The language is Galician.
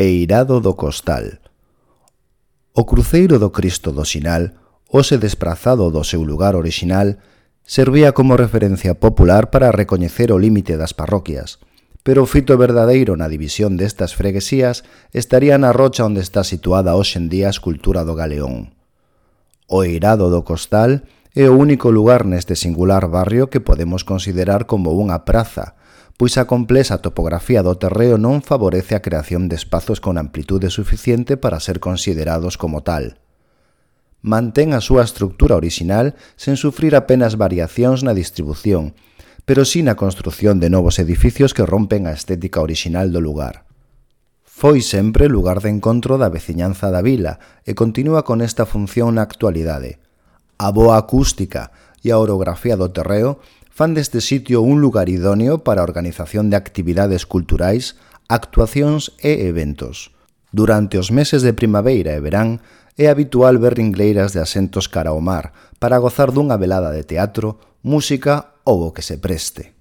Eirado do Costal. O cruceiro do Cristo do Sinal, hoxe desprazado do seu lugar orixinal, servía como referencia popular para recoñecer o límite das parroquias, pero o fito verdadeiro na división destas freguesías estaría na rocha onde está situada hoxe en día a escultura do Galeón. O Eirado do Costal é o único lugar neste singular barrio que podemos considerar como unha praza, pois a complexa topografía do terreo non favorece a creación de espazos con amplitude suficiente para ser considerados como tal. Mantén a súa estructura orixinal sen sufrir apenas variacións na distribución, pero sí na construción de novos edificios que rompen a estética orixinal do lugar. Foi sempre lugar de encontro da veciñanza da vila e continúa con esta función na actualidade. A boa acústica e a orografía do terreo fan deste sitio un lugar idóneo para a organización de actividades culturais, actuacións e eventos. Durante os meses de primavera e verán, é habitual ver ringleiras de asentos cara ao mar para gozar dunha velada de teatro, música ou o que se preste.